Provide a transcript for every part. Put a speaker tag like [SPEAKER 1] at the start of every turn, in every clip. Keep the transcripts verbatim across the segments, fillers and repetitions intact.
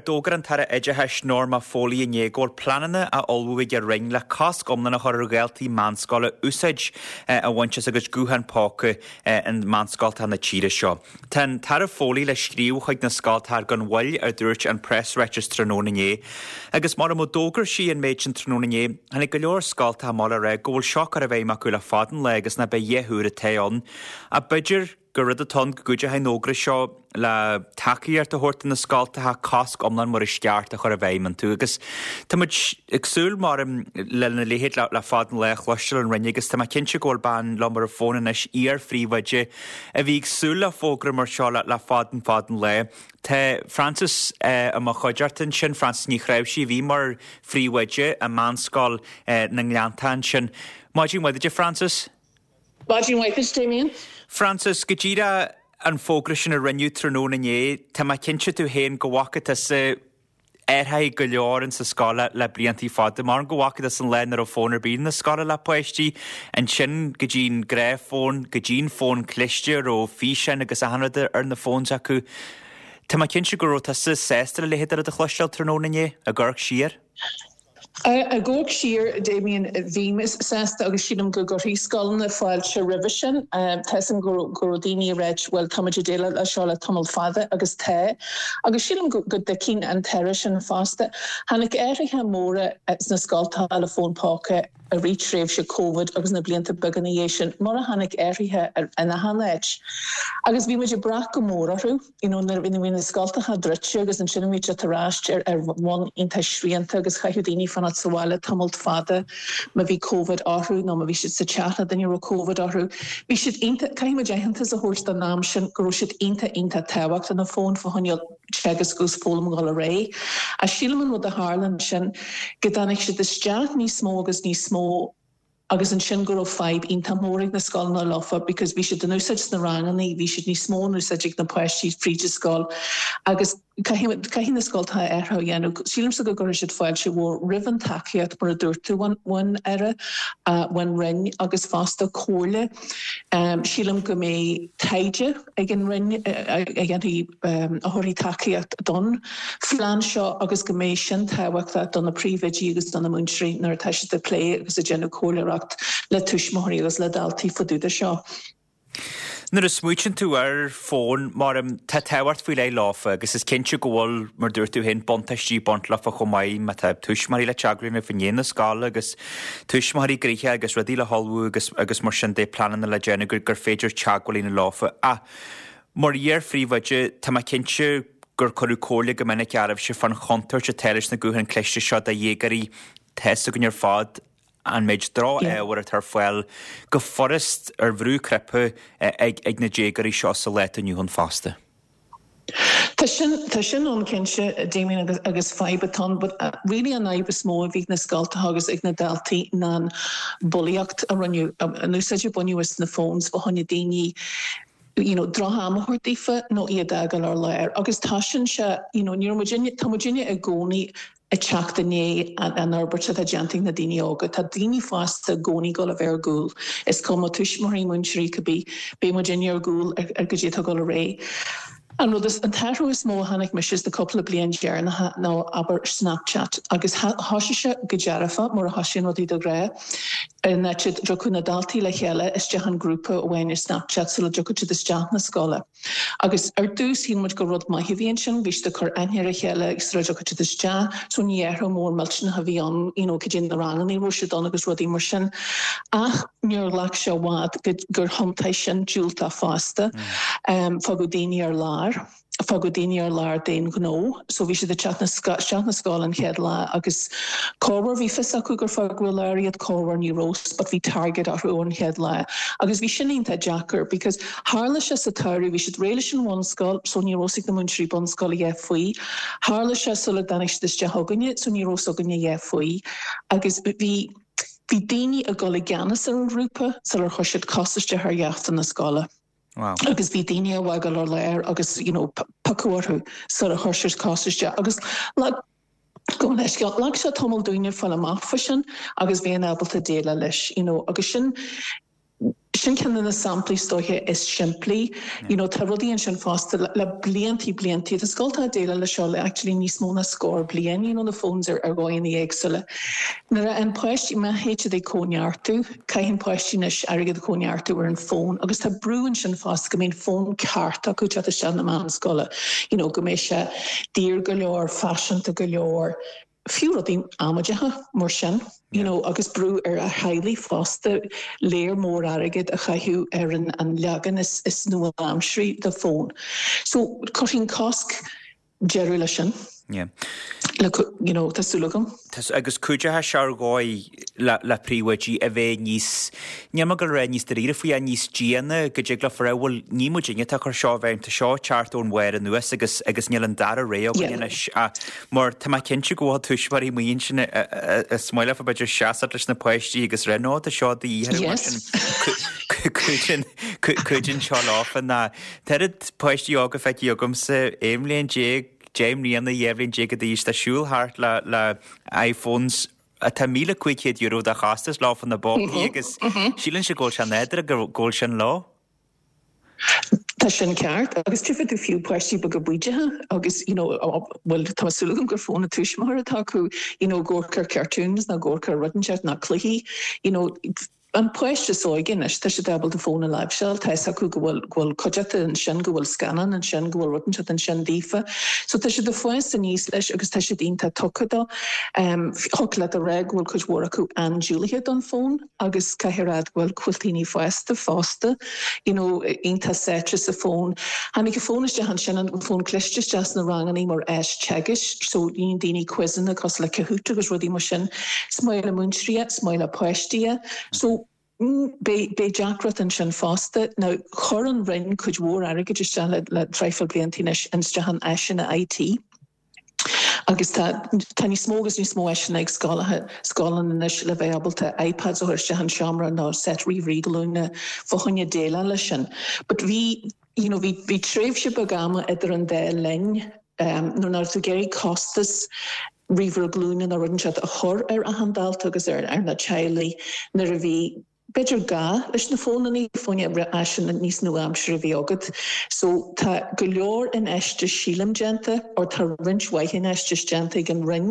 [SPEAKER 1] D'fhógair an tAire Oideachais Norma Foley inné go bhfuil pleananna á ullmhú ag a Roinn le cosc iomlán a chur ar dhaltaí meánscoile úsáid a bhaint as a gcuid guthán póca i meánscoltacha na tíre seo. Tá an tAire Foley le scríobh chuig na scoltacha gan mhoill a dúirt an preasráiteas tráthnóna inné. Agus mar a d'fhógair sí an méid sin tráthnóna inné, tháinig go leor scoltacha amach le rá go bhfuil seo curtha i bhfeidhm acu le fada an lá agus nach b'é a dhath úr atá ann. A b'fhéidir gur rud atá ann go gcuideoidh an fhógra seo le tacaíocht a thabhairt do na scoltacha cosc iomlán mar is ceart a chur i bhfeidhm iontu agus Tá muid ag súil mar lena leithéid le fada an lá a chloisteáil ón Roinn agus tá mé cinnte go bhfuil bean liom ar an bhfón anois iar-phríomhoide a bhí ag súil le fógra mar seo le le fada an fada an lá. Tá Frances i mo chuideachta ansin Frances Ní Chnáimhsí bhí mar phríomhoide i meánscoil na nGleannta ansin. Maidin mhaith duit Frances?
[SPEAKER 2] Maidin mhaith Damien.
[SPEAKER 1] Frances, go díreach an fógra sin a rinneadh tráthnóna inné, Tá mé cinnte tú féin go bhfaca tusa athruithe go leor in sa scoil le bliantaí fada, mar go bhfaca tusa an lá nach raibh fón ar bith na scoile le páistí, ansin go dtí'n gnáthfhón, go dtí'n fón cliste raibh físeáin agus achan rud ar na phones acu. Tá mé cinnte go raibh tusa sásta le leithéid de rud a chloisteáil tráthnóna inné ag amharc siar.
[SPEAKER 2] Ag amharc siar Damien bhí mé sásta agus sílim go gcuirfidh scoileanna fáilte roimhe sin Tá go raibh daoine ag rá well tá muid ag déileáil le seo le tamall fada agus tá agus sílim go dtuigeann an tAire sin fosta. Tháinig athruithe móra sna scoltacha le fón póca i rith tréimhse COVID agus na blianta beaga ina dhiaidh sin mar a tháinig athruithe in achan áit. Agus bhí muid ag brath go mór orthu you know, nuair bhí na scoltacha druidte agus ansin bhí tar éis ar ar bhonn iontach srianta agus chaithfeadh daoine fanacht sa bhaile tamall fada má bhí COVID orthu nó má bhí siad sa teach le duine raibh COVID orthu. Bhí siad caithfidh muid aitheantas a thabhairt don am sin go raibh siad iontach iontach tábhachtach na fóin fá choinne teagasc agus foghlaim dul ar aghaidh. A sílim an rud a tharla sin go dtáinig siad isteach níos mó agus níos mó agus ansin go raibh fadhb iontach mór ag na scoileanna leofa because bhí siad in úsáid sna ranganna, bhí siad níos mó in úsáid ag na páistí fríd an scoil agus caithfidh na scoltacha athrú a dhéanamh. Sílimse go gcuirfidh siad fáilte mhór roimh an tacaíocht mar a dúirt tú ón Aire ón Roinn agus fosta comhairle. Um, sílim go mbeidh taighde ag an Roinn a dhéanfaidh um, a thabharfaidh tacaíocht don phlean seo agus go mbeidh sin tábhachtach do na príomhoidí agus do na múinteoirí nuair atá siad ag plé agus ag déanamh comhairleoireacht le tuismitheoirí agus le daltaí fá dtaobh de seo.
[SPEAKER 1] Nuair a smaoiníonn tú ar fón mar tá tábhacht faoi leith leofa agus is cinnte go bhfuil mar dúirt tú féin buntáistí ag baint leofa chomh maith má tá tuismitheoirí le teagmháil fá choinne na scoile agus tuismitheoirí gnoitheach agus rudaí le hullmhú agus agus mar sin de pleananna le déanamh gur gur féidir teagmháil a dhéanamh leofa. Ach mar iar-phríomhoide tá mé cinnte gur cuireadh comhairle go minic oraibhse fán chontúirt atá leis na gutháin cliste seo do dhéagóirí tá a fhios againn ar fad an méid droch-ábhar atá ar fáil go furast ar bhrú cnaipe ag ag na déagóirí seo sa lá atá inniu ann fosta.
[SPEAKER 2] Tá sin tá sin ann cinnte Damien agus agus fadhb atá ann, but uh, really an fhadhb is mó a bhí na scoltacha agus ag na daltaí ná an bulaíocht a rinneadh an úsáid a baineadh as na phones fá choinne daoine you know, droch-am a thabhairt daofa nó iad a fhágáil ar lár. Agus tá sin se you know, ní tá muidinne i gcónaí ag teacht i ndiaidh an fhorbairt atá déanta ag na daoine óga. Tá daoine fásta i gcónaí ag gabháil a bheith ar gcúl. Is cuma tuismitheoirí múinteoirí cibé beidh muidinne ar gcúl ar go dtí tá dul ar aghaidh. An rud is an t-athrú is mó a chonaic mise na cúpla bliain deireanacha ná abair Snapchat agus thosaigh sé go dearfa mar a thosaíonn rudaí de ghnáth in áit a dtiocfadh na daltaí le chéile isteach an grúpa amháin ar Snapchat sula dtiocfadh siad isteach na scoile. Agus ar dtús shíl muid gur rud maith a bhí ansin, bhí siad ag cur aithne ar a chéile agus sula dtiocfadh siad isteach, so ní athrú mór millteanach a bhí ann you know, cad é na ranganna raibh siad ann agus rudaí mar sin. Ach níor ghlac sé i bhfad gur thiontaigh sin diúltach fosta um, fágadh daoine ar lár. Fágadh daoine ar lár d'aon ghnó, so bhí siad ag teacht isteach na scoile an chéad lá agus corruair bhí fios acu gur fágadh ar lár iad corruair ní raibh, but bhí target orthu an chéad lá. Agus bhí sin iontach deacair because tharla sé sa samhradh bhí siad réidh leis an bhunscoil, so ní raibh ag na múinteoirí bunscoile a dhath faoi. Tharla sé sula dtáinig siad isteach chugainne, so ní raibh againne a dhath faoi. Agus bhí bhí daoine ag dul i gceannas ar an ghrúpa sular chuir siad cos isteach ar gheafta na scoile.
[SPEAKER 1] Wow.
[SPEAKER 2] Agus bhí daoine á bhfágáil ar lár agus you know, piocadh orthu sula chuir siad cos isteach. Agus like, go leis ghlac sé tamall dúinne fáil amach faoi sin agus bheith ábalta déileáil leis you know, agus sin Sin ceann de na samplaí is dóiche is simplí. You know, tá rudaí ansin fosta le, le bliantaí bliantaí. Tá scoltacha ag déileáil le seo le actually níos mó ná scór bliain, you know, na phones ar ar dhóigheanna éagsúla. Nuair a an páistí má théid siad ag cóineartú, caitheann páistí anois airgead a chóineartú ar an fón agus tá brú ansin fosta go mbíonn fón ceart acu teacht isteach na meánscoile. You know, go mbeidh sé daor go leor, faiseanta go leor, fiú rudaí amaideacha mar sin. You know, agus brú ar a theaghlaigh fosta léar mór airgead a chaitheamh ar an, an leagan is, is nua-aimseartha de fón. So cuirfidh cosc deireadh leis sin.
[SPEAKER 1] Yeah.
[SPEAKER 2] Le, you know, tá súil agam.
[SPEAKER 1] Agus cuideoidh sé ar dhóigh le, le príomhoidí a bheith níos, níl mé ag goil a rá níos dáiríre faoi ach níos déine go dtig leo a rá bhuel ní muidinne atá ag cur seo i bhfeidhm, tá seo ag teacht ón bharr anuas agus agus níl an dara rogha againn
[SPEAKER 2] Yeah.
[SPEAKER 1] anois. Ach mar tá mé cinnte go bhfuil tuismitheoirí amuigh ansin a, a, a smaoineofa b'fhéidir seasamh leis na páistí agus rá no tá seo de dhíth orthu mar
[SPEAKER 2] Yes.
[SPEAKER 1] sin cuidíonn cuidíonn seo leofa ná tá oiread páistí óga feicthe agamsa aon bhliain déag deich mbliana dhá bhliain déag d'aois tá siúl thart le le iPhones atá míle cúig chéad euro de chostas leofa na bpócaí agus síleann sé go bhfuil sé nádúrtha go go bhfuil sin leo.
[SPEAKER 2] Tá sin ceart agus tchífidh tú fiú páistí beaga bídeacha agus you know, well tá súil agam gur fón a tuismitheoir atá acu you know, ag amharc ar cartoons nó ag amharc ar rud inteacht ná cluichí you know, an páiste is óige anois tá siad ábalta fón a láimhseáil tá acu go bhfuil go bhfuil cuideachta ansin go bhfuil scannán ansin go bhfuil rud inteacht ansin daofa. So tá siad ag fás aníos leis agus tá siad iontach tugtha dó. Um, Thig leat a rá go bhfuil cuid mhór acu an-dúlaithe don fón agus caithfidh rá go bhfuil daoine fásta fosta, you know, iontach sáite sa fón. Tháinig an fón isteach ansin an fón cliste isteach sna ranganna mar áis teagaisc, so dhéan daoine quizanna cosúil le Kahoot agus rudaí mar sin. Is maith le múinteoirí, is maith le páistí. So Beidh deacracht ansin fosta. Now chuir an Roinn cuid mhór airgid isteach le, le traidhfil blianta anois isteach in áiseanna IT. Agus tá tá níos mó agus níos mó áiseanna ag scoileanna scoileanna anois le bheith ábalta iPads a chur isteach an seomra nó set ríomhairí glúine fá choinne déileáil leis sin. But bhí you know, bhí bhí tréimhse beag ama idir an dá linn um, nuair nach raibh tú ag iarraidh costas ríomhaire glúine nó rud inteacht a chur ar achan dalta agus ar ar na teaghlaigh nuair a bhí b'fhéidir gá leis na fónanna fá choinne áiseanna níos nua-aimseartha a bhí agat. So tá go leor infheistíocht sílim déanta or tá roinnt mhaith infheistíocht déanta ag an Roinn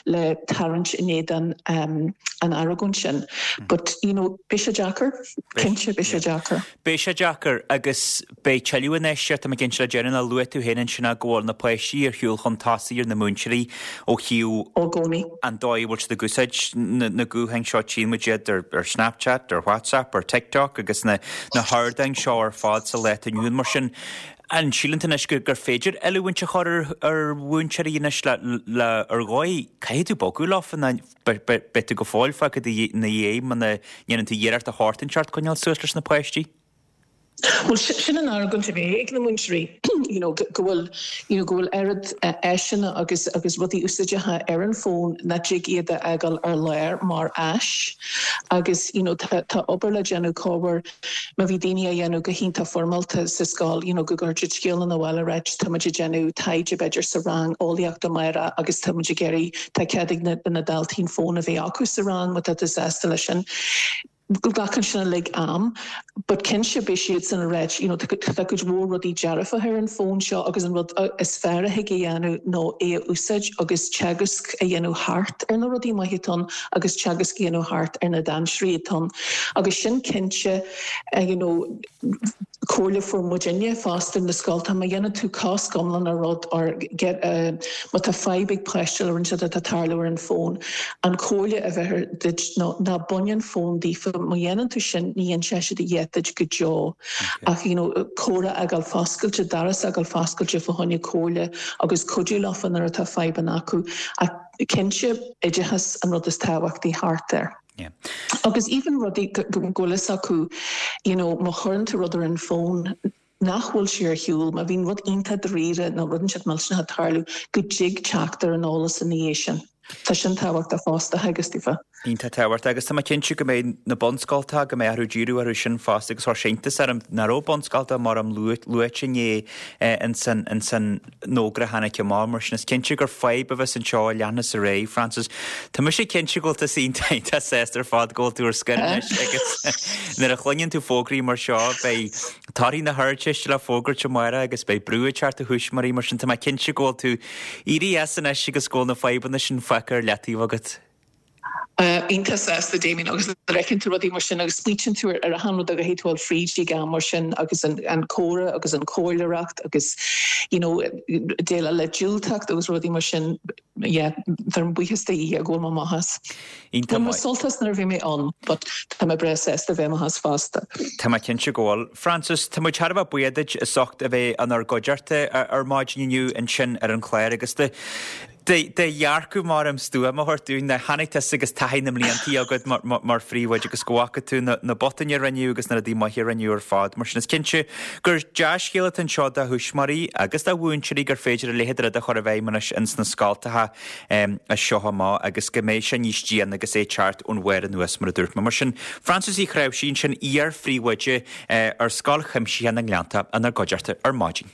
[SPEAKER 2] le tarraingt in éadan um, an argóint sin. But you know, beidh sé deacair, cinnte beidh sé deacair.
[SPEAKER 1] Beidh sé deacair agus beidh tuilleadh infheistíocht tá mé cinnte le déanamh a luaigh tú féin ansin go bhfuil na páistí ar shiúl chun tosaigh ar na múinteoirí ó thaobh
[SPEAKER 2] Ó gcónaí.
[SPEAKER 1] an dóigh a bhfuil siad ag úsáid na, na gutháin seo tchíonn muid iad ar, ar Snapchat, ar WhatsApp, ar TikTok agus na, na hardáin seo ar fad sa lá atá inniu ann mar sin. An síleann tú anois gur, gur féidir oiliúint a chur ar, ar mhúinteoirí anois le, le ar dhóigh caithfidh tú bogadh leofa ná beidh tú go fóill fágtha ina dhiaidh muna ndéanann tú iarracht a shórt inteacht coinneáil suas leis na páistí?
[SPEAKER 2] Well sin an argóint a bhí ag na múinteoirí you know, go bhfuil you know, go bhfuil oiread uh, áiseanna agus agus rudaí úsáideacha ar an fón nach dtig iad a fhágáil ar lár mar áis agus you know, tá, tá obair le déanamh cóir má bhí daoine a dhéanamh go hiontach foirmeálta sa scoil you know, go gcuirfidh scéal an bhile reit tá muid ag déanamh taighde b'fhéidir sa rang eolaíochta amárach agus tá muid ag iarraidh tá cead ag na, na daltaí fón a bheith acu sa rang má tá tú sásta leis sin. Glacann sin like am, but cinnte beidh siad san reit you know, tá cuid mhór rudaí dearfa ar an fón seo agus an rud is fearr a thig a dhéanamh ná é a úsáid agus teagasc a dhéanamh thart ar na rudaí maithe atá ann agus teagasc a dhéanamh thart ar na dainséir atá ann. Agus sin cinnte uh, you know, comhairle fuair muidinne fosta na scolta má dhéanann tú cosc iomlán ar rud or get uh, má tá fadhb ag páiste le rud atá ag tarlú ar an fón an chomhairle a bheith duit ná ná bain an fón díofa má dhéanann tú sin ní dhéanfaidh siad a dhath duit go deo ach you know, comhrá a fhágáil foscailte doras a fhágáil foscailte fá choinne comhairle agus cuidiú leofa nuair atá fadhbanna acu ach cinnte oideachas an rud is tábhachtaí thart air.
[SPEAKER 1] Yeah.
[SPEAKER 2] Agus even rudaí go bhfuil fhios acu you know, má chuireann tú rud ar an fón nach bhfuil sé ar shiúl, má bhíonn rud iontach dáiríre nó rud inteacht millteanach ag tarlú go dtig teacht ar an eolas ina dhiaidh sin. Tá sin tábhachtach fosta agus daofa.
[SPEAKER 1] Iontach tábhachtach agus tá mé cinnte go mbeidh na bunscoltacha, go mbeidh orthu díriú orthu sin fosta agus chuir sé iontas orm nach raibh bunscoltacha mar am luaite inné ins an ins an fhógra a tháinig amach mar sin is cinnte gur fadhb a bheas anseo a leanfas ar aghaidh. Frances, tá mise cinnte go bhfuil tusa iontach iontach sásta ar fad go bhfuil tú ar scor anois agus nuair a chluineann tú fógraí mar seo beidh torthaí na hArdteiste le fógairt amárach agus beidh brú ag teacht ar thuismitheoirí mar sin tá mé cinnte go bhfuil tú éirithe as anois agus go bhfuil na fadhbanna sin fágtha ar leataobh agat.
[SPEAKER 2] Iontach sásta Damien agus nuair a fheiceann tú rudaí mar sin agus smaoitíonn tú ar achan rud a gcaithfidh tú dul fríd ag am mar sin agus an comhrá agus an chomhairleoireacht agus you know déileáil le diúltacht agus rudaí mar sin yeah táim buíochas do Dhia go bhfuil mé amach as.
[SPEAKER 1] Iontach
[SPEAKER 2] Bhain mé
[SPEAKER 1] maith.
[SPEAKER 2] sult as nuair a bhí mé ann but tá mé breá sásta bheith amach as fosta.
[SPEAKER 1] Tá mé cinnte go bhfuil. Frances, tá muid thar a bheith buíoch duit as ucht a bheith inár gcuideachta ar maidin inniu ansin ar an chlár agus do do dhearcadh mar am stuama a thabhairt dúinn. Tháinig tusa agus taithí na mblianta agat mar phríomhoide agus go bhfaca tú na botúin a rinneadh agus na rudaí maithe a rinneadh ar fad. Mar sin is cinnte gur dea-scéal atá anseo do thuismitheoirí agus do mhúinteoirí gur féidir a leithéid de rud a chur i bhfeidhm anois ins na scoltacha as seo amach agus go mbeidh sé níos déine agus é ag teacht ón bharr anuas mar a dúirt mé. Mar sin, Frances Uí Chnáimhsí ansin, iar-phríomhoide ar Scoil Chuimsitheach na nGleannta inár gcuideachta ar maidin.